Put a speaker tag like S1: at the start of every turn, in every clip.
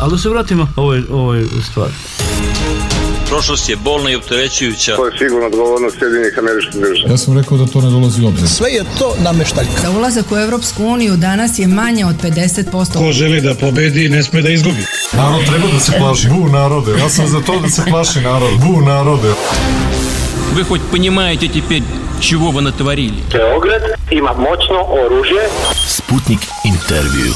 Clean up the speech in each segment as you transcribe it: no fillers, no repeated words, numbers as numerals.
S1: Ali da se vratimo ovoj stvari.
S2: Prošlost je bolna i opterećujuća.
S3: To je sigurno odgovornost Sjedinjenih Američkih Država.
S4: Ja sam rekao da to ne dolazi u obzir.
S5: Sve je to nameštaljka.
S6: Za ulazak u Evropsku uniju danas je manje od 50%.
S7: Ko želi da pobedi, ne sme da izgubi.
S4: Narod treba da se plaši. Bu narode. Ja sam za to da se plaši narod. Bu narode.
S8: Вы хоть понимаете теперь, чего вы натворили?
S9: Beograd ima moćno oružje.
S10: Sputnik intervju.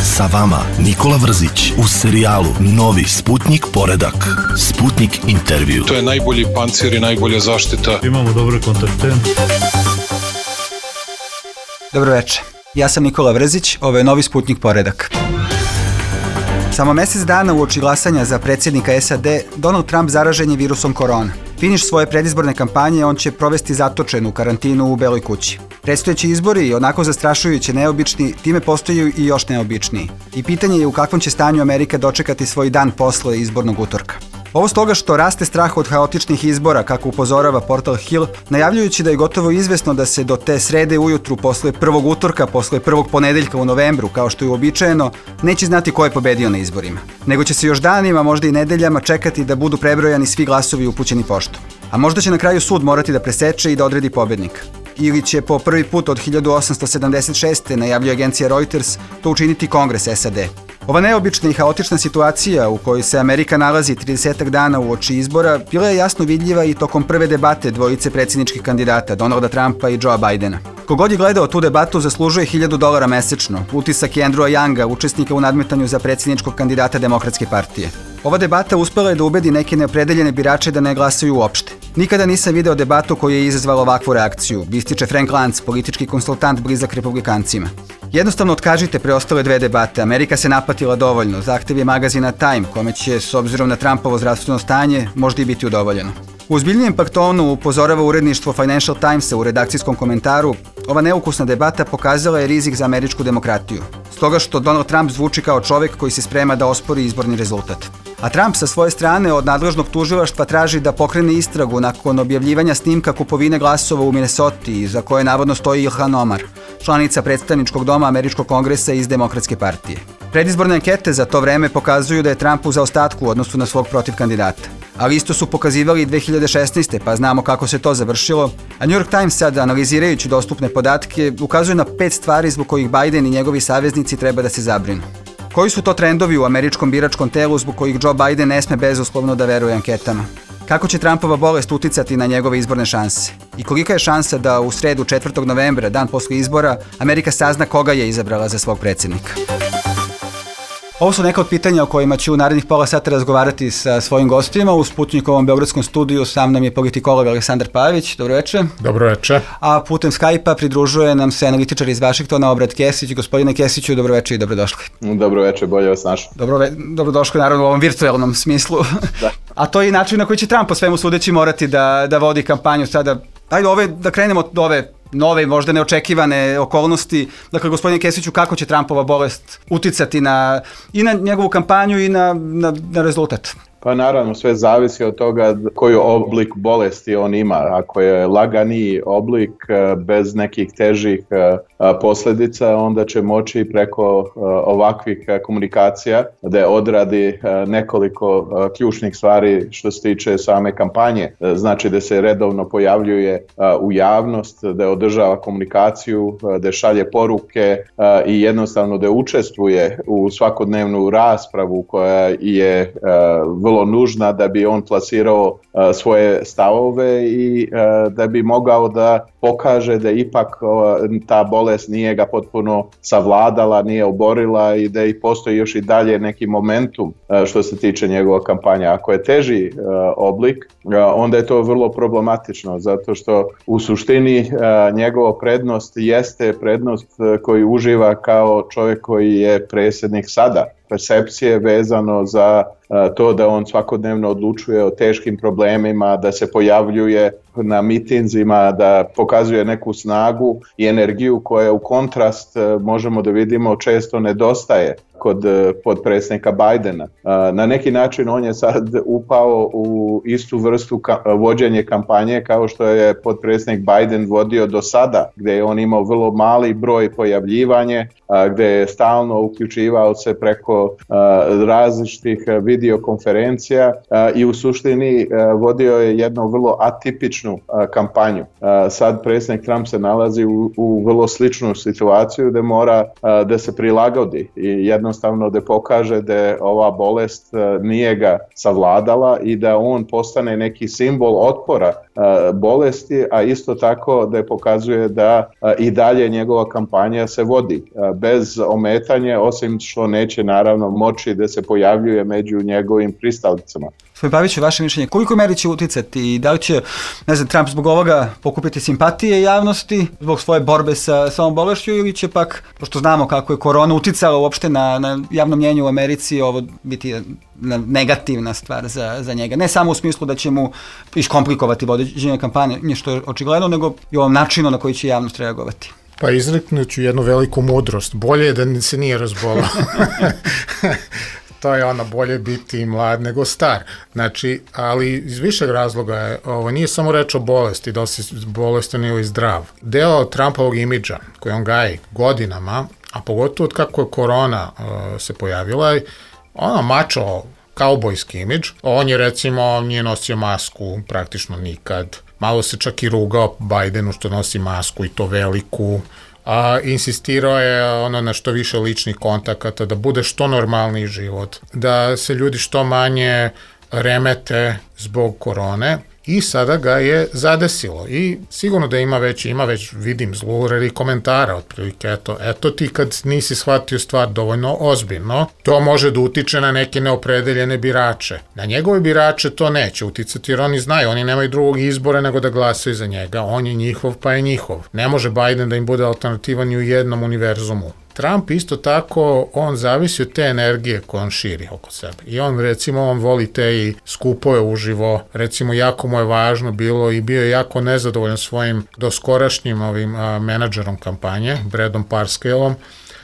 S10: Sa vama Nikola Vrzić u serijalu Novi Sputnik poredak. Sputnik intervju.
S11: To je najbolji pancir i najbolja zaštita.
S1: Imamo dobre kontakte.
S12: Dobro večer. Ja sam Nikola Vrzić, ovo je Novi Sputnik poredak. Samo mjesec dana uoči glasanja za predsjednika SAD, Donald Trump zaražen je virusom korona. Finiš svoje predizborne kampanje on će provesti zatočen u karantinu u Beloj kući. Predstojeći izbori, onako zastrašujuće neobični, time postaju i još neobičniji. I pitanje je u kakvom će stanju Amerika dočekati svoj dan posle izbornog utorka. Ovo stoga što raste strah od haotičnih izbora, kako upozorava portal Hill, najavljujući da je gotovo izvesno da se do te srede ujutru posle prvog utorka, posle prvog ponedeljka u novembru, kao što je uobičajeno, neće znati ko je pobedio na izborima. Nego će se još danima, možda i nedeljama čekati da budu prebrojani svi glasovi upućeni poštom. A možda će na kraju sud morati da preseče i da odredi pobednika. Ili će po prvi put od 1876. najavljuje agencija Reuters to učiniti Kongres SAD. Ova neobična i haotična situacija u kojoj se Amerika nalazi 30 dana uoči izbora bila je jasno vidljiva i tokom prve debate dvojice predsjedničkih kandidata, Donalda Trumpa i Joea Bidena. Kogod je gledao tu debatu zaslužuje $1.000 mesečno, utisak je Andrewa Younga, učesnika u nadmetanju za predsjedničkog kandidata Demokratske partije. Ova debata uspela je da ubedi neke neopredeljene birače da ne glasaju uopšte. Nikada nisam video debatu koja je izazvala ovakvu reakciju, ističe Frank Luntz, politički konsultant blizak republikancima. Jednostavno otkažite preostale dve debate, Amerika se napatila dovoljno, zahtev je magazina Time, kome će, s obzirom na Trumpovo zdravstveno stanje, možda i biti udovoljeno. U ozbiljnijem pak tonu upozorava uredništvo Financial Timesa u redakcijskom komentaru, ova neukusna debata pokazala je rizik za američku demokratiju, stoga što Donald Trump zvuči kao čovjek koji se sprema da ospori izborni rezultat. A Trump sa svoje strane od nadležnog tužilaštva traži da pokrene istragu nakon objavljivanja snimka kupovine glasova u Minnesoti, za koje navodno stoji Ilhan Omar, članica predstavničkog doma Američkog kongresa iz Demokratske partije. Predizborne ankete za to vreme pokazuju da je Trump u zaostatku u odnosu na svog protivkandidata. Ali isto su pokazivali i 2016. pa znamo kako se to završilo, a New York Times sad, analizirajući dostupne podatke, ukazuje na 5 stvari zbog kojih Biden i njegovi saveznici treba da se zabrinu. Koji su to trendovi u američkom biračkom telu zbog kojih Joe Biden ne sme bezuslovno da veruje anketama? Kako će Trumpova bolest uticati na njegove izborne šanse? I kolika je šansa da u sredu 4. novembra, dan posle izbora, Amerika sazna koga je izabrala za svog predsjednika? Ovo su neka od pitanja o kojima ću u narednih pola sata razgovarati sa svojim gostima. U Sputnikovom beogradskom studiju sa mnom je politikolog Aleksandar Pavić. Dobro večer.
S13: Dobro večer.
S12: A putem Skype-a pridružuje nam se analitičar iz Vašingtona, Obrat Kesić. Gospodine Kesiću, dobro večer i dobrodošli.
S14: Dobro večer, bolje vas našao.
S12: Dobrodošli naravno u ovom virtualnom smislu. Da. A to je i način na koji će Trump po svemu sudeći morati da vodi kampanju sada. Ajde, da krenemo od ove nove, možda neočekivane okolnosti. Dakle, gospodine Kesiću, kako će Trumpova bolest uticati i na njegovu kampanju i na rezultat?
S14: Pa naravno, sve zavisi od toga koji oblik bolesti on ima. Ako je laganiji oblik bez nekih težih posljedica, onda će moći preko ovakvih komunikacija da odradi nekoliko ključnih stvari što se tiče same kampanje. Znači da se redovno pojavljuje u javnost, da održava komunikaciju, da šalje poruke i jednostavno da učestvuje u svakodnevnu raspravu koja je vrlo nužna da bi on plasirao svoje stavove i da bi mogao da pokaže da ipak ta bolest nije ga potpuno savladala, nije oborila i da i postoji još i dalje neki momentum što se tiče njegova kampanja. Ako je teži oblik, onda je to vrlo problematično zato što u suštini njegova prednost jeste prednost koju uživa kao čovjek koji je predsjednik sada. Percepcije vezano za to da on svakodnevno odlučuje o teškim problemima, da se pojavljuje na mitinzima, da pokazuje neku snagu i energiju koja u kontrast možemo da vidimo često nedostaje kod potpredsjednika Bidena. Na neki način on je sad upao u istu vrstu vođenje kampanje kao što je potpredsjednik Biden vodio do sada, gdje je on imao vrlo mali broj pojavljivanje, gdje je stalno uključivao se preko različitih videokonferencija i u suštini vodio je jednu vrlo atipičnu kampanju. Sad predsjednik Trump se nalazi u vrlo sličnu situaciju gdje mora da se prilagodi i jednostavno da pokaže da ova bolest nije ga savladala i da on postane neki simbol otpora bolesti, a isto tako da pokazuje da i dalje njegova kampanja se vodi bez ometanja, osim što neće naravno moći da se pojavljuje među njegovim pristalicama.
S12: Gospodin Paviću, vaše mišljenje, koliko meri će uticati i da li će, Trump zbog ovoga pokupiti simpatije javnosti zbog svoje borbe sa ovom bolešću ili će pak, pošto znamo kako je korona uticala uopšte na javno mnjenje u Americi, ovo biti negativna stvar za njega. Ne samo u smislu da će mu iskomplikovati vođenje kampanje, što je očigledno, nego i ovom načinu na koji će javnost reagovati.
S5: Pa izreknuću jednu veliku mudrost. Bolje je da se nije razbolao. To je ono, bolje biti mlad nego star. Znači, ali iz višeg razloga je, ovo nije samo reč o bolesti, da li si bolestan ili zdrav. Deo Trumpovog imidža koji on gaji godinama, a pogotovo od kako je korona se pojavila, ono mačo kaubojski imidž. On je recimo nije nosio masku praktično nikad. Malo se čak i rugao Bidenu što nosi masku i to veliku. Insistirao je ono na što više ličnih kontakata, da bude što normalniji život, da se ljudi što manje remete zbog korone i sada ga je zadesilo i sigurno da ima već vidim zlureri komentara otprilike, eto ti kad nisi shvatio stvar dovoljno ozbiljno, to može da utiče na neke neopredeljene birače. Na njegove birače to neće uticati jer oni znaju, oni nemaju drugog izbora nego da glasaju za njega, on je njihov pa je njihov. Ne može Biden da im bude alternativa ni u jednom univerzumu. Trump isto tako, on zavisi od te energije koje on širi oko sebe. I on recimo, on voli te i skupove uživo, recimo jako mu je važno bilo i bio je jako nezadovoljan svojim doskorašnjim menadžerom kampanje, Bradom Parscaleom,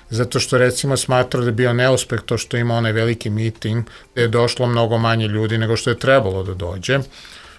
S5: zato što recimo smatrao da je bio neuspeh to što ima onaj veliki miting gde je došlo mnogo manje ljudi nego što je trebalo da dođe.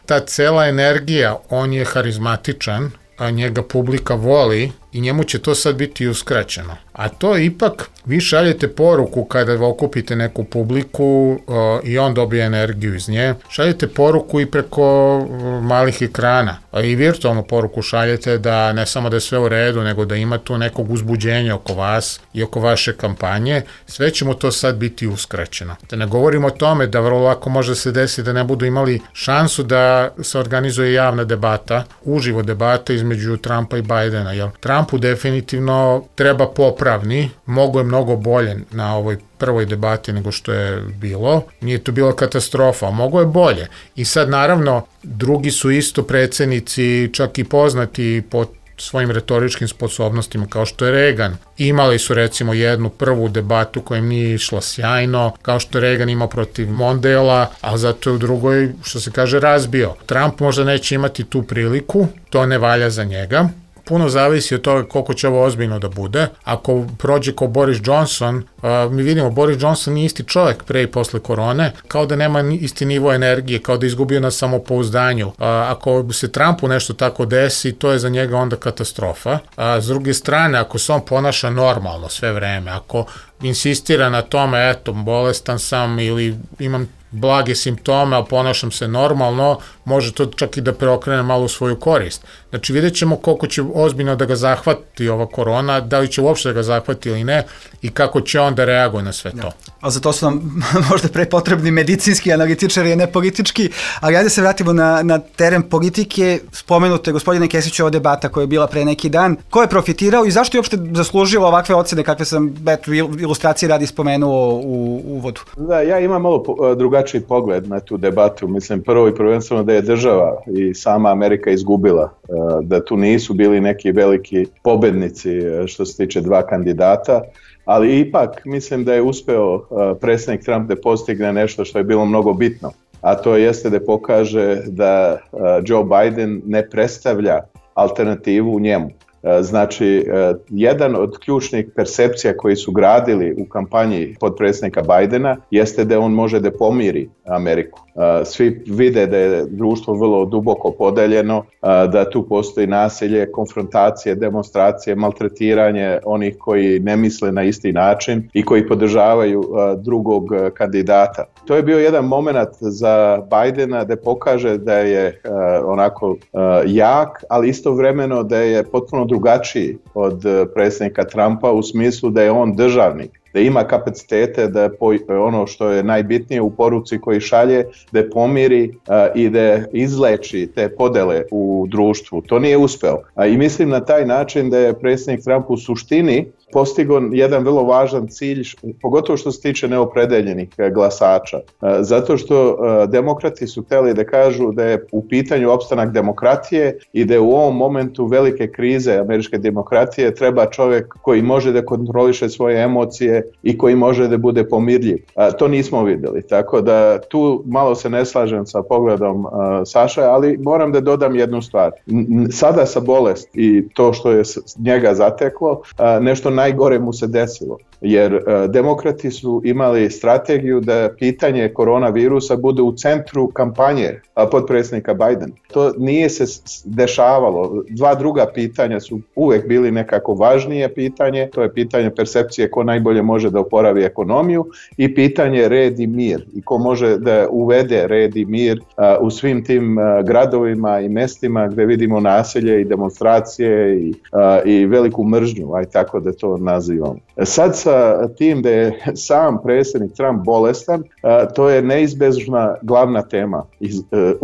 S5: Ta cela energija, on je harizmatičan, a njega publika voli i njemu će to sad biti uskraćeno. A to ipak vi šaljete poruku kada okupite neku publiku i on dobije energiju iz nje. Šaljete poruku i preko malih ekrana. I virtualnu poruku šaljete da ne samo da je sve u redu, nego da ima tu nekog uzbuđenja oko vas i oko vaše kampanje. Sve će mu to sad biti uskraćeno. Da ne govorimo o tome da vrlo lako može se desiti da ne budu imali šansu da se organizuje javna debata, uživo debata između Trumpa i Bidena. Jer Trumpu definitivno treba popravni, mogo je mnogo bolje na ovoj prvoj debati nego što je bilo. Nije to bila katastrofa, mogo je bolje. I sad naravno drugi su isto predsjednici, čak i poznati po svojim retoričkim sposobnostima kao što je Reagan. Imali su recimo jednu prvu debatu koja im nije išla sjajno, kao što je Reagan imao protiv Mondela, ali zato je u drugoj, što se kaže, razbio. Trump možda neće imati tu priliku, to ne valja za njega. Puno zavisi od toga koliko će ovo ozbiljno da bude. Ako prođe kao Boris Johnson, mi vidimo Boris Johnson nije isti čovjek pre i posle korone, kao da nema isti nivo energije, kao da je izgubio na samopouzdanju. Ako se Trumpu nešto tako desi, to je za njega onda katastrofa. S druge strane, ako se on ponaša normalno sve vreme, ako insistira na tome, eto, bolestan sam ili imam blage simptome, a ponašam se normalno, može to čak i da preokrene malo u svoju korist. Znači vidjet ćemo koliko će ozbiljno da ga zahvati ova korona, da li će uopšte da ga zahvati ili ne i kako će on da reaguje na sve to.
S12: A za to su nam možda prepotrebni medicinski analitičari, a ne politički, ali ajde se vratimo na teren politike. Spomenute, gospodine Kesiću, ova debata koja je bila pre neki dan. Ko je profitirao i zašto je uopšte zaslužilo ovakve ocene kakve sam ilustracije radi spomenuo u uvodu?
S14: Da, ja imam malo drugačiji pogled na tu debatu. Mislim, prvo i prvenstveno da je država i sama Amerika izgubila, da tu nisu bili neki veliki pobednici što se tiče dva kandidata, ali ipak mislim da je uspeo predsjednik Trump da postigne nešto što je bilo mnogo bitno. a to jeste da pokaže da Joe Biden ne predstavlja alternativu u njemu. Znači, jedan od ključnih percepcija koji su gradili u kampanji potpredsjednika Bidena jeste da on može da pomiri Ameriku. Svi vide da je društvo vrlo duboko podeljeno, da tu postoji nasilje, konfrontacije, demonstracije, maltretiranje onih koji ne misle na isti način i koji podržavaju drugog kandidata. To je bio jedan moment za Bidena da pokaže da je onako jak, ali istovremeno da je potpuno drugačiji od predsjednika Trumpa u smislu da je on državnik, da ima kapacitete da ono što je najbitnije u poruci koji šalje, da pomiri i da izleči te podele u društvu. To nije uspeo. I mislim na taj način da je predsjednik Trump u suštini postigao jedan vrlo važan cilj, pogotovo što se tiče neopredeljenih glasača. Zato što demokrati su htjeli da kažu da je u pitanju opstanak demokratije i da je u ovom momentu velike krize američke demokratije treba čovjek koji može da kontroliše svoje emocije i koji može da bude pomirljiv. To nismo vidjeli, tako da tu malo se ne slažem sa pogledom Saša, ali moram da dodam jednu stvar. Sada sa bolest i to što je njega zateklo, nešto najgore mu se desilo, jer demokrati su imali strategiju da pitanje koronavirusa bude u centru kampanje potpredsjednika Bidena. To nije se dešavalo. Dva druga pitanja su uvek bili nekako važnije pitanje, to je pitanje percepcije ko najbolje može da oporavi ekonomiju i pitanje red i mir i ko može da uvede red i mir u svim tim gradovima i mestima gde vidimo nasilje i demonstracije i veliku mržnju, aj tako da to nazivamo. Sad sa tim da je sam predsjednik Trump bolestan, to je neizbežna glavna tema,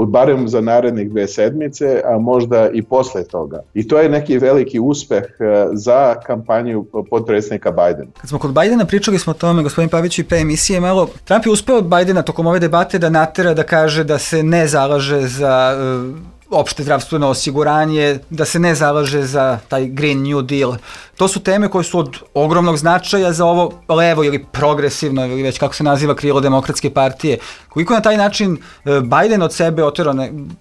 S14: barem za narednih 2 sedmice, a možda i posle toga. I to je neki veliki uspeh za kampanju potpredsjednika Bidena.
S12: Kad smo kod Bidena pričali smo o tome, gospodin Pavić, i pre emisije malo, Trump je uspeo od Bidena tokom ove debate da natera da kaže da se ne zalaže za opšte zdravstveno osiguranje, da se ne zalaže za taj Green New Deal. To su teme koje su od ogromnog značaja za ovo levo ili progresivno ili već kako se naziva krilo demokratske partije. Koliko na taj način Biden od sebe oterao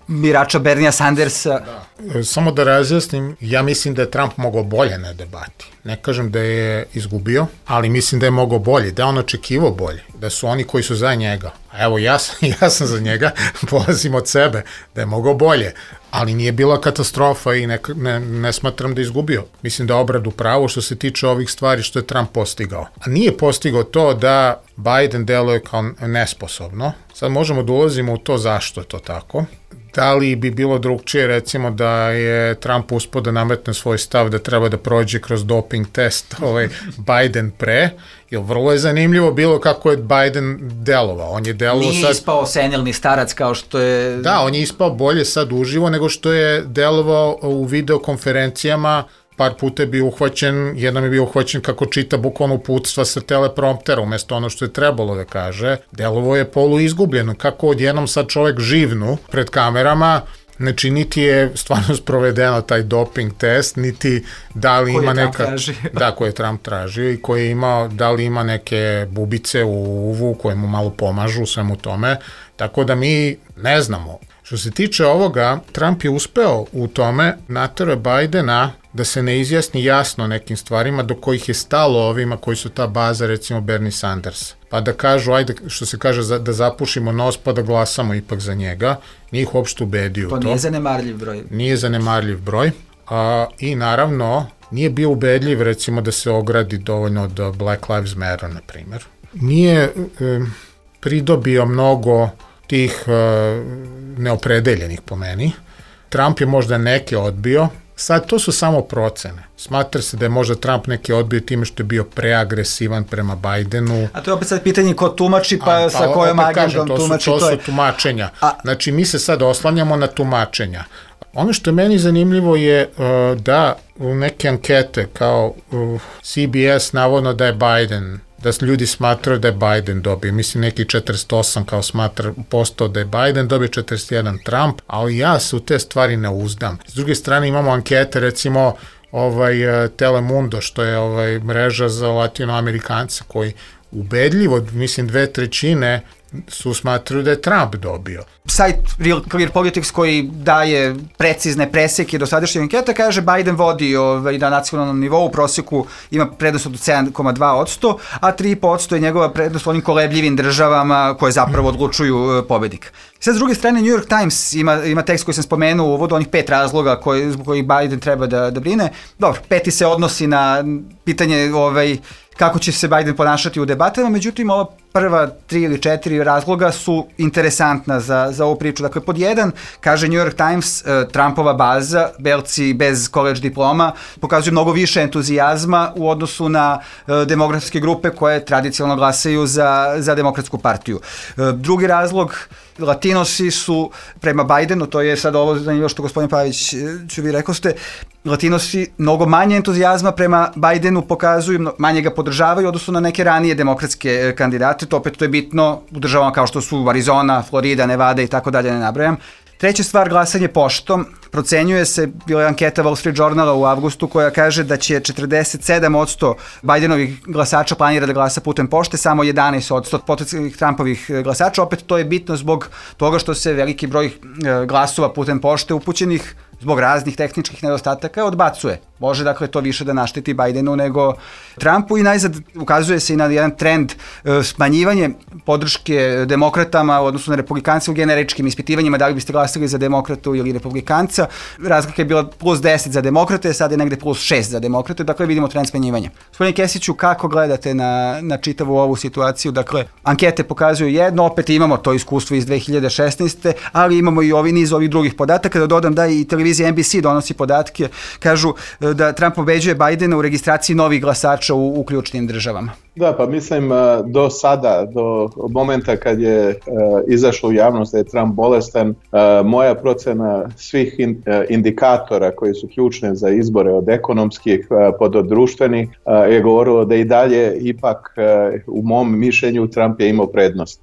S12: birača Bernia Sandersa?
S5: Da. Samo da razjasnim, ja mislim da je Trump mogao bolje na debati. Ne kažem da je izgubio, ali mislim da je mogao bolje, da je on očekivao bolje, da su oni koji su za njega. A evo, ja sam za njega, polazim od sebe, da je mogao bolje. Ali nije bila katastrofa i ne smatram da je izgubio. Mislim da je obradu pravo što se tiče ovih stvari što je Trump postigao. A nije postigao to da Biden deluje kao nesposobno. Sad možemo da ulazimo u to zašto je to tako. Da li bi bilo drugčije, recimo, da je Trump uspeo da nametne svoj stav da treba da prođe kroz doping test Biden pre, jer vrlo je zanimljivo bilo kako je Biden delovao. On je delovao
S12: nije ispao senilni starac kao što je...
S5: Da, on je ispao bolje sad uživo nego što je delovao u videokonferencijama. Par puta je bio uhvaćen, jednom je bio uhvaćen kako čita bukvalno uputstva sa telepromptera, umjesto ono što je trebalo da kaže. Delovo je poluizgubljeno, kako odjednom sad čovjek živnu pred kamerama, znači niti je stvarno sprovedeno taj doping test, niti da li ima neka... Da, koje je Trump tražio i koji je imao, da li ima neke bubice u uvu koje mu malo pomažu u svemu tome, tako da mi ne znamo. Što se tiče ovoga, Trump je uspeo u tome, naterao je Bidena da se ne izjasni jasno nekim stvarima do kojih je stalo ovima koji su ta baza, recimo Bernie Sanders. Pa da kažu, ajde, što se kaže, da zapušimo nos pa da glasamo ipak za njega, nije ih uopšte ubedio
S12: to. To nije zanemarljiv broj.
S5: Nije zanemarljiv broj. I naravno, nije bio ubedljiv, recimo, da se ogradi dovoljno od Black Lives Matter, na primjer. Nije pridobio mnogo tih neopredeljenih po meni. Trump je možda neke odbio. Sad, to su samo procene. Smatra se da je možda Trump neke odbio time što je bio preagresivan prema Bidenu.
S12: A to je opet sad pitanje ko tumači, pa sa kojom agendom tumači.
S5: To su tumačenja. Znači, mi se sad oslanjamo na tumačenja. Ono što je meni zanimljivo je da u neke ankete kao CBS navodno da je Biden, da ljudi smatraju da je Biden dobio. Mislim, neki 48 kao smatra postao da je Biden, dobio 41 Trump, ali ja se u te stvari ne uzdam. S druge strane imamo ankete, recimo Telemundo, što je mreža za latinoamerikance, koji ubedljivo, mislim, 2/3 su smatrali da je Trump dobio.
S12: Sajt Real Clear Politics koji daje precizne preseke do sadašnje anketa kaže Biden vodi na nacionalnom nivou, u prosjeku ima prednost od 7,2%, a 3,5% je njegova prednost u onim kolebljivim državama koje zapravo odlučuju pobednik. Sad, s druge strane, New York Times ima tekst koji sam spomenuo u uvodu, onih 5 razloga zbog kojih Biden treba da brine. Dobro, 5. se odnosi na pitanje kako će se Biden ponašati u debatama, međutim, ova prva 3 ili 4 razloga su interesantna za ovu priču. Dakle, pod 1, kaže New York Times, Trumpova baza, belci bez college diploma, pokazuju mnogo više entuzijazma u odnosu na demografske grupe koje tradicionalno glasaju za Demokratsku partiju. Drugi razlog, Latinosi su prema Bidenu, to je sad ovo zanimljivo što gospodin Pavić ću vi rekao ste, Latinosi mnogo manje entuzijazma prema Bidenu pokazuju, manje ga podržavaju odnosno na neke ranije demokratske kandidate, to je bitno u državama kao što su Arizona, Florida, Nevada i tako dalje, ne nabrajam. Treća stvar, glasanje poštom. Procenjuje se, bila je anketa Wall Street Journala u avgustu koja kaže da će 47% Bidenovih glasača planira da glasa putem pošte, samo 11% potencijalnih Trumpovih glasača. Opet to je bitno zbog toga što se veliki broj glasova putem pošte upućenih zbog raznih tehničkih nedostataka odbacuje. Može dakle to više da našteti Bidenu nego Trumpu i najzad ukazuje se i na jedan trend smanjivanje podrške demokratama u odnosu na republikance u generičkim ispitivanjima, da li biste glasili za demokratu ili republikanca. Razlika je bila plus 10 za demokrate, sad je negde plus 6 za demokrate, dakle vidimo trend smanjivanja. Gospodine Kesiću, kako gledate na čitavu ovu situaciju? Dakle, ankete pokazuju jedno, opet imamo to iskustvo iz 2016. ali imamo i niz ovih drugih podataka, da dodam da i televizija NBC donosi podatke, kažu da Trump pobeđuje Bidena u registraciji novih glasača u ključnim državama.
S14: Da, pa mislim do sada, do momenta kad je izašlo u javnost da je Trump bolestan, moja procena svih indikatora koji su ključne za izbore od ekonomskih pa do društvenih je govorilo da i dalje ipak u mom mišljenju Trump je imao prednost.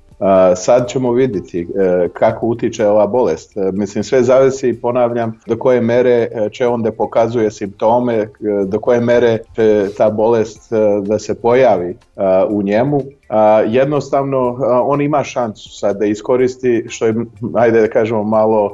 S14: Sad ćemo vidjeti kako utiče ova bolest. Mislim, sve zavisi, ponavljam, do koje mere će on da pokazuje simptome, do koje mere će ta bolest da se pojavi u njemu. Jednostavno, on ima šansu sad da iskoristi, što je, ajde da kažemo, malo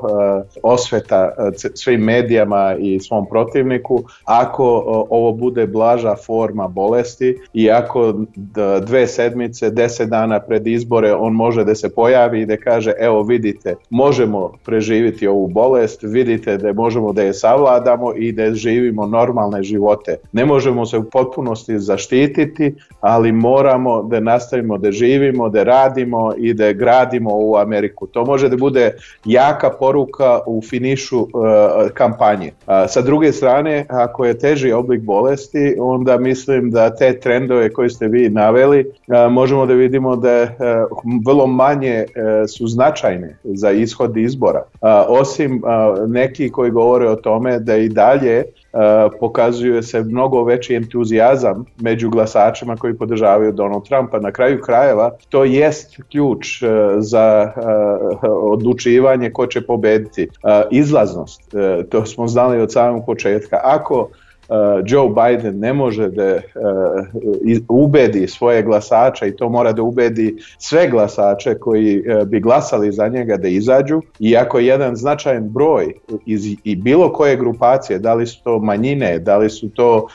S14: osveta svim medijama i svom protivniku, ako ovo bude blaža forma bolesti i ako 2 sedmice, 10 dana pred izbore on može da se pojavi i da kaže, evo vidite, možemo preživiti ovu bolest, vidite da možemo da je savladamo i da živimo normalne živote. Ne možemo se u potpunosti zaštititi, ali moramo da nastavimo da živimo, da radimo i da gradimo ovu Ameriku. To može da bude jaka poruka u finišu kampanje. Sa druge strane, ako je teži oblik bolesti, onda mislim da te trendove koje ste vi naveli, možemo da vidimo da vrlo manje su značajne za ishod izbora. Osim neki koji govore o tome da i dalje pokazuje se mnogo veći entuzijazam među glasačima koji podržavaju Donald Trumpa. Na kraju krajeva to jest ključ za odlučivanje ko će pobediti. Izlaznost, to smo znali od samog početka. Ako Joe Biden ne može da ubedi svoje glasače i to mora da ubedi sve glasače koji bi glasali za njega da izađu, i ako jedan značajan broj i bilo koje grupacije, da li su to manjine, da li su to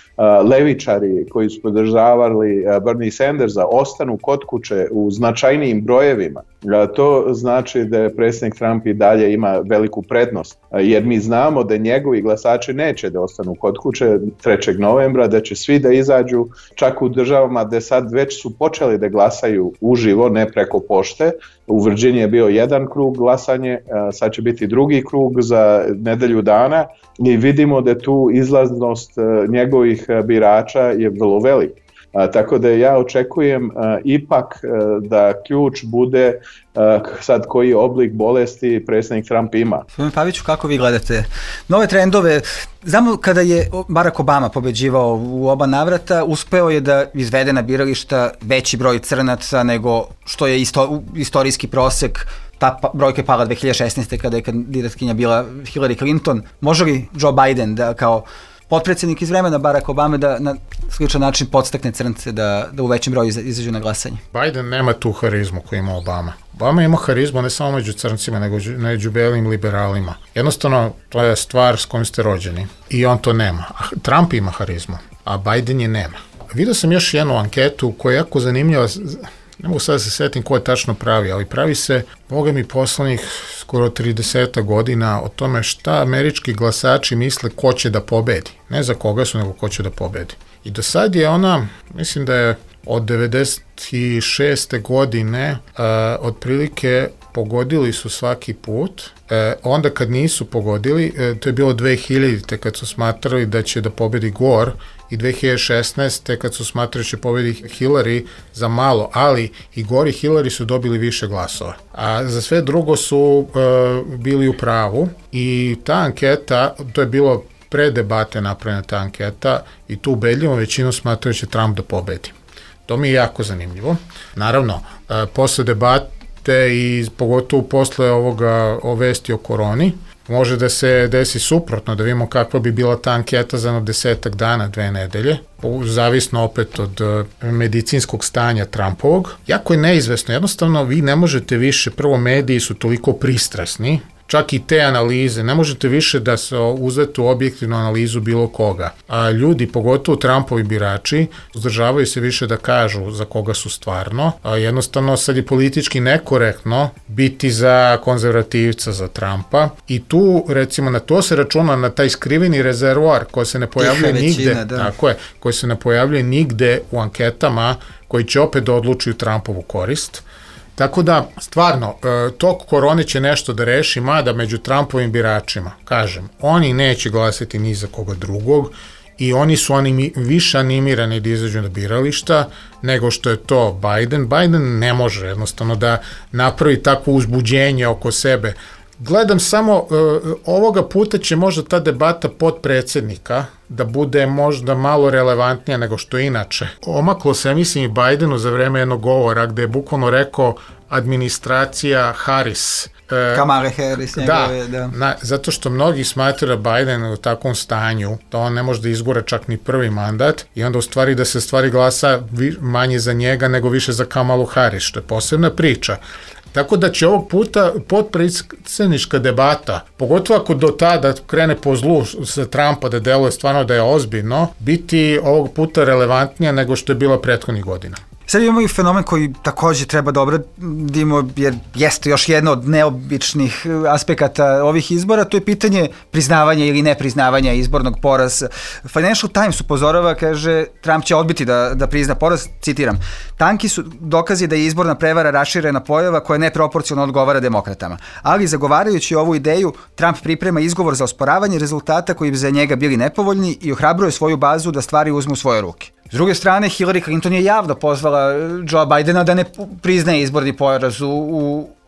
S14: levičari koji su podržavali Bernie Sandersa, ostanu kod kuće u značajnijim brojevima, to znači da predsjednik Trump i dalje ima veliku prednost, jer mi znamo da njegovi glasači neće da ostanu kod kuće 3. novembra, da će svi da izađu, čak u državama gde sad već su počeli da glasaju uživo, ne preko pošte. U Virginiji je bio jedan krug glasanje, sad će biti drugi krug za nedelju dana i vidimo da tu izlaznost njegovih birača je vrlo velika. Tako da ja očekujem ipak da ključ bude sad koji oblik bolesti predsjednik Trump ima.
S12: Gospodin Paviću, kako vi gledate nove trendove? Znamo kada je Barack Obama pobeđivao u oba navrata, uspeo je da izvede na birališta veći broj crnaca nego što je istorijski prosek. Ta brojka je pala 2016. kada je kandidatkinja bila Hillary Clinton. Može li Joe Biden da kao potpredsjednik iz vremena Barack Obame da na sličan način podstakne crnce da u većem broju izađu na glasanje?
S5: Biden nema tu harizmu koju ima Obama. Obama ima harizmu ne samo među crncima, nego među belim liberalima. Jednostavno, to je stvar s kojom ste rođeni i on to nema. Trump ima harizmu, a Biden je nema. Vidio sam još jednu anketu koja je jako zanimljiva, ne mogu sad da se setim ko je tačno pravi, ali pravi se, boga mi, poslednjih skoro 30 godina o tome šta američki glasači misle ko će da pobedi. Ne za koga su, nego ko će da pobedi. I do sad je ona, mislim da je od 96. godine otprilike pogodili su svaki put. Onda kad nisu pogodili, to je bilo 2000. kad su smatrali da će da pobedi Gore i 2016. kad su smatrali da će pobedi Hillary za malo, ali i Gore i Hillary su dobili više glasova. A za sve drugo su bili u pravu i ta anketa, to je bilo pre debate napravljena ta anketa i tu ubedljivo većinu smatraju da će Trump da pobedi. To mi je jako zanimljivo. Naravno, posle debate i pogotovo posle o vesti o koroni, može da se desi suprotno, da vidimo kakva bi bila ta anketa za 10 dana, 2 nedelje, zavisno opet od medicinskog stanja Trumpovog. Jako je neizvesno, jednostavno vi ne možete više, prvo mediji su toliko pristrasni, čak i te analize, ne možete više da se uzeti u objektivnu analizu bilo koga. A ljudi, pogotovo Trumpovi birači, uzdržavaju se više da kažu za koga su stvarno. A jednostavno sad je politički nekorektno biti za konzervativca, za Trumpa. I tu, recimo, na to se računa na taj skriveni rezervoar koji se ne pojavljuje nigde. Tako je, koji se ne pojavljuje nigde u anketama koji će opet da odlučuju Trumpovu korist. Tako da, stvarno, tok korone će nešto da reši, mada među Trumpovim biračima, kažem, oni neće glasati ni za koga drugog i oni su više animirani da izađu na birališta nego što je to Biden. Biden ne može jednostavno da napravi takvo uzbuđenje oko sebe. Gledam samo, ovoga puta će možda ta debata potpredsjednika da bude možda malo relevantnija nego što je inače. Omaklo se, ja mislim, i Bidenu za vreme jednog govora gde je bukvalno rekao administracija Harris.
S12: Kamale Harris njegove,
S5: da. Zato što mnogi smatraju da Biden u takvom stanju, da on ne može da izgura čak ni prvi mandat i onda u stvari da se stvari glasa manje za njega nego više za Kamalu Harris, što je posebna priča. Tako da će ovog puta potpredsjednička debata, pogotovo ako do tada krene po zlu sa Trumpa da deluje stvarno da je ozbiljno, biti ovog puta relevantnija nego što je bila prethodnih godina.
S12: Sad imamo i fenomen koji takođe treba da obradimo, jer jeste još jedno od neobičnih aspekata ovih izbora, to je pitanje priznavanja ili nepriznavanja izbornog poraza. Financial Times upozorava, kaže, Trump će odbiti da prizna poraz, citiram, tanki su dokazi da je izborna prevara raširena pojava koja neproporcionalno odgovara demokratama. Ali zagovarajući ovu ideju, Trump priprema izgovor za osporavanje rezultata koji bi za njega bili nepovoljni i ohrabruje svoju bazu da stvari uzmu u svoje ruke. S druge strane, Hillary Clinton je javno pozvala Joe Bidena da ne priznaje izborni poraz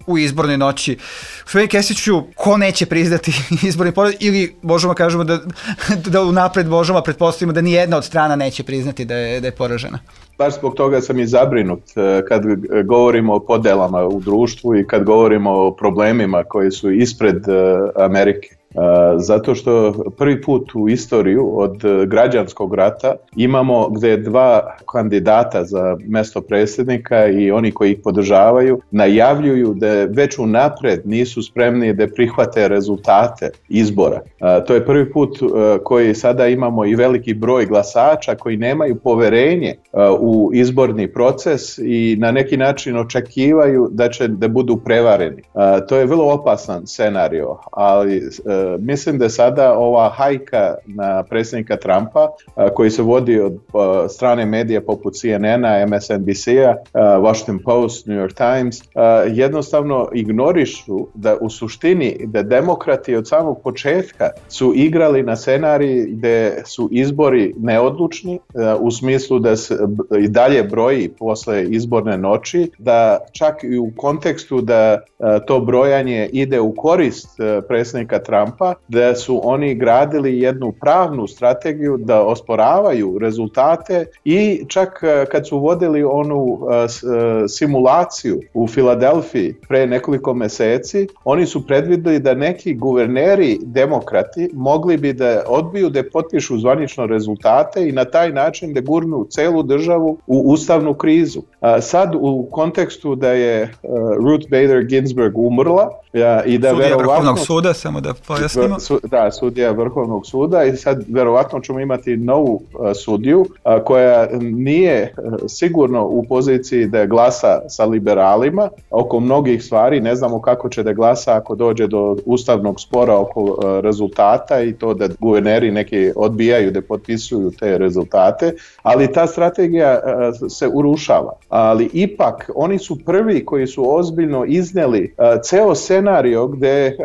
S12: u izbornoj noći. Gospodin Kesiću, ko neće priznati izborni poraz ili možemo kažemo da unapred možemo pretpostavimo da ni jedna od strana neće priznati da je poražena?
S14: Baš zbog toga sam i zabrinut kad govorimo o podelama u društvu i kad govorimo o problemima koji su ispred Amerike. Zato što prvi put u istoriju od građanskog rata imamo gde dva kandidata za mesto predsjednika i oni koji ih podržavaju najavljuju da već unapred nisu spremni da prihvate rezultate izbora. To je prvi put koji sada imamo i veliki broj glasača koji nemaju poverenje u izborni proces i na neki način očekivaju da će da budu prevareni. To je vrlo opasan scenario, ali mislim da sada ova hajka na predsjednika Trumpa koji se vodi od strane medija poput CNN-a, MSNBC-a, Washington Post, New York Times, jednostavno ignorišu da u suštini da demokrati od samog početka su igrali na scenariji gde su izbori neodlučni u smislu da se i dalje broji posle izborne noći, da čak i u kontekstu da to brojanje ide u korist predsjednika Trumpa, Trumpa, da su oni gradili jednu pravnu strategiju da osporavaju rezultate i čak kad su vodili onu simulaciju u Filadelfiji pre nekoliko meseci, oni su predvideli da neki guverneri demokrati mogli bi da odbiju da potpišu zvanično rezultate i na taj način da gurnu celu državu u ustavnu krizu. Sad u kontekstu da je Ruth Bader Ginsburg umrla i da
S12: sudija Vrhovnog suda, samo da pojasnimo.
S14: Sudija Vrhovnog suda i sad verovatno ćemo imati novu sudiju koja nije sigurno u poziciji da glasa sa liberalima oko mnogih stvari, ne znamo kako će da glasa ako dođe do ustavnog spora oko rezultata i to da guverneri neki odbijaju da potpisuju te rezultate, ali ta strategija se urušava. Ali ipak oni su prvi koji su ozbiljno iznijeli ceo scenario gde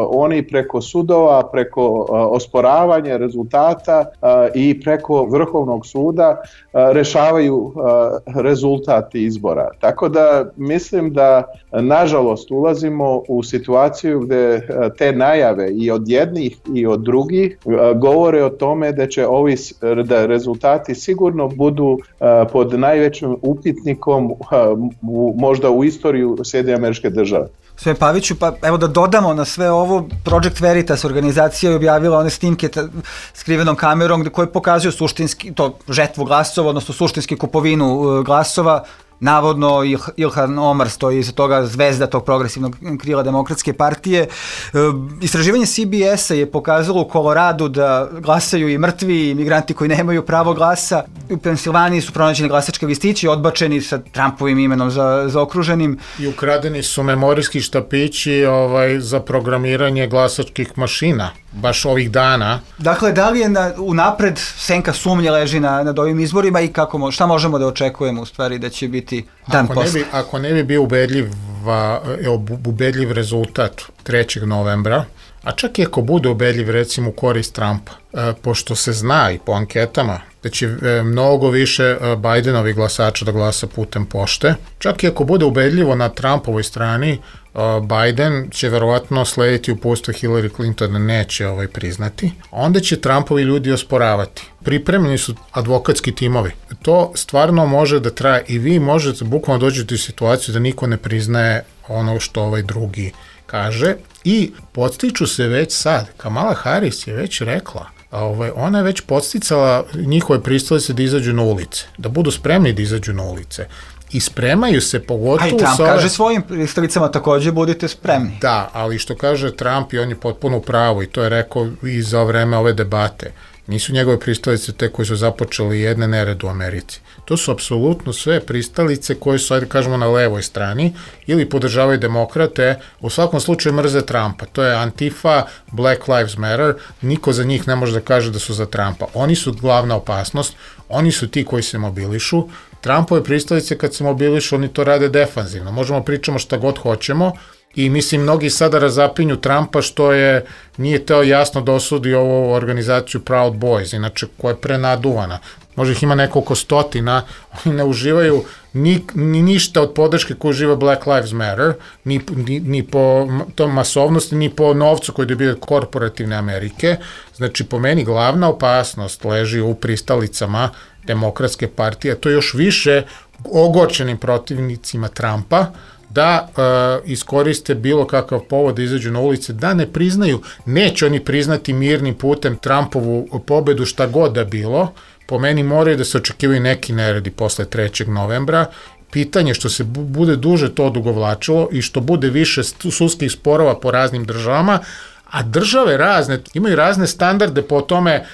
S14: oni preko sudova, preko osporavanja rezultata i preko Vrhovnog suda rešavaju rezultat izbora. Tako da mislim da nažalost ulazimo u situaciju gde te najave i od jednih i od drugih govore o tome da će da rezultati sigurno budu pod najvećim upitnikom možda u istoriju Sjedinjenih Američkih Država.
S12: Sve Paviću, pa evo da dodamo na sve ovo, Project Veritas organizacija je objavila one snimke skrivenom kamerom koje pokazuju suštinski, to žetvu glasova, odnosno suštinski kupovinu glasova. Navodno Ilhan Omar stoji iza toga, zvezda tog progresivnog krila Demokratske partije. Istraživanje CBS-a je pokazalo u Koloradu da glasaju i mrtvi i migranti koji nemaju pravo glasa. U Pensilvaniji su pronađeni glasački listići, odbačeni sa Trumpovim imenom zaokruženim.
S5: I ukradeni su memorijski štapići za programiranje glasačkih mašina, baš ovih dana.
S12: Dakle, da li je unapred senka sumnje leži nad ovim izborima i šta možemo da očekujemo u stvari da će biti dan posle?
S5: Ako ne bi bio ubedljiv rezultat 3. novembra, a čak i ako bude ubedljiv recimo u korist Trumpa, pošto se zna i po anketama da će mnogo više Bidenovi glasača da glasa putem pošte, čak i ako bude ubedljivo na Trumpovoj strani, Biden će verovatno slediti uputstvo Hillary Clinton da neće priznati, onda će Trumpovi ljudi osporavati. Pripremljeni su advokatski timovi. To stvarno može da traje i vi možete bukvalno dođete u situaciju da niko ne priznaje ono što drugi kaže i podstiču se već sad. Kamala Harris je već rekla, ona je već podsticala njihove pristalice da izađu na ulice, da budu spremni da izađu na ulice. I spremaju se pogotovo...
S12: A i Trump kaže svojim pristalicama takođe budite spremni.
S5: Da, ali što kaže Trump i on je potpuno u pravu i to je rekao i za vreme ove debate. Nisu njegove pristalice te koji su započeli jedne nered u Americi. To su apsolutno sve pristalice koje su, ajde kažemo, na levoj strani ili podržavaju demokrate, u svakom slučaju mrze Trumpa. To je Antifa, Black Lives Matter, niko za njih ne može da kaže da su za Trumpa. Oni su glavna opasnost, oni su ti koji se mobilišu. Trumpove pristalice kad se mobilišu, oni to rade defanzivno. Možemo pričamo šta god hoćemo i mislim mnogi sada razapinju Trumpa što nije teo jasno da osudi ovu organizaciju Proud Boys, inače koja je prenaduvana. Možda ih ima nekoliko stotina, oni ne uživaju ni ništa od podrške koju uživa Black Lives Matter, ni po tom masovnosti, ni po novcu koji dobije korporativne Amerike. Znači, po meni glavna opasnost leži u pristalicama Demokratske partije, to još više ogorčenim protivnicima Trumpa, da iskoriste bilo kakav povod da izađu na ulice, da ne priznaju, neće oni priznati mirnim putem Trumpovu pobedu šta god da bilo, po meni moraju da se očekivaju neki neredi posle 3. novembra, pitanje što se bude duže to odugovlačilo i što bude više sudskih sporova po raznim državama, a države razne, imaju razne standarde po tome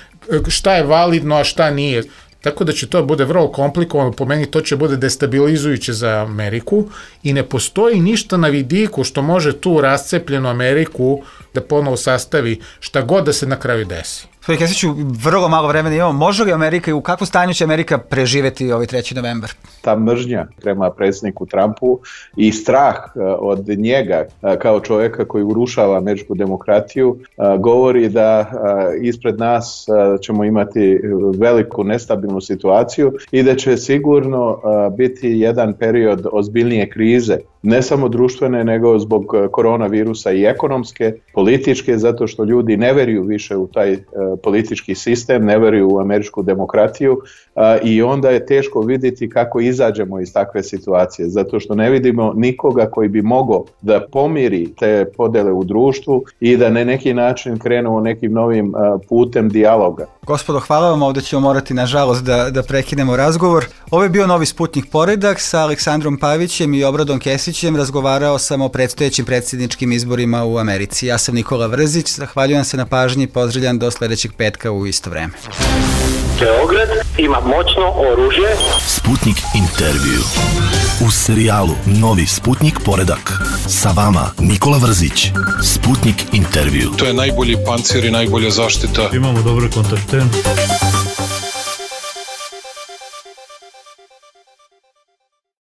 S5: šta je validno, a šta nije. Tako da će to bude vrlo komplikovano, po meni to će bude destabilizujuće za Ameriku i ne postoji ništa na vidiku što može tu rascepljenu Ameriku da ponovo sastavi šta god da se na kraju desi.
S12: Gospodin Kesiću, vrlo malo vremena imamo. Može li Amerika i u kakvom stanju će Amerika preživeti ovaj 3. novembar?
S14: Ta mržnja prema predsjedniku Trumpu i strah od njega kao čovjeka koji urušava američku demokratiju govori da ispred nas ćemo imati veliku nestabilnu situaciju i da će sigurno biti jedan period ozbiljnije krize ne samo društvene, nego zbog koronavirusa i ekonomske, političke, zato što ljudi ne veruju više u taj politički sistem, ne veruju u američku demokratiju i onda je teško vidjeti kako izađemo iz takve situacije, zato što ne vidimo nikoga koji bi mogao da pomiri te podele u društvu i da na neki način krenemo nekim novim putem dijaloga.
S12: Gospodo, hvala vam, ovdje ćemo morati nažalost da prekinemo razgovor. Ovo je bio Novi Sputnik Poredak sa Aleksandrom Pavićem i Obradom Kesićem. Razgovarao sam o predstojećim predsjedničkim izborima u Americi. Ja sam Nikola Vrzić, zahvaljujem se na pažnji i pozdravljam do sljedećeg petka u isto vreme.
S9: Beograd ima moćno oružje.
S10: Sputnik intervju. U serijalu Novi Sputnik Poredak. Sa vama Nikola Vrzić. Sputnik intervju.
S11: To je najbolji pancir i najbolja zaštita.
S1: Imamo dobre kontakte.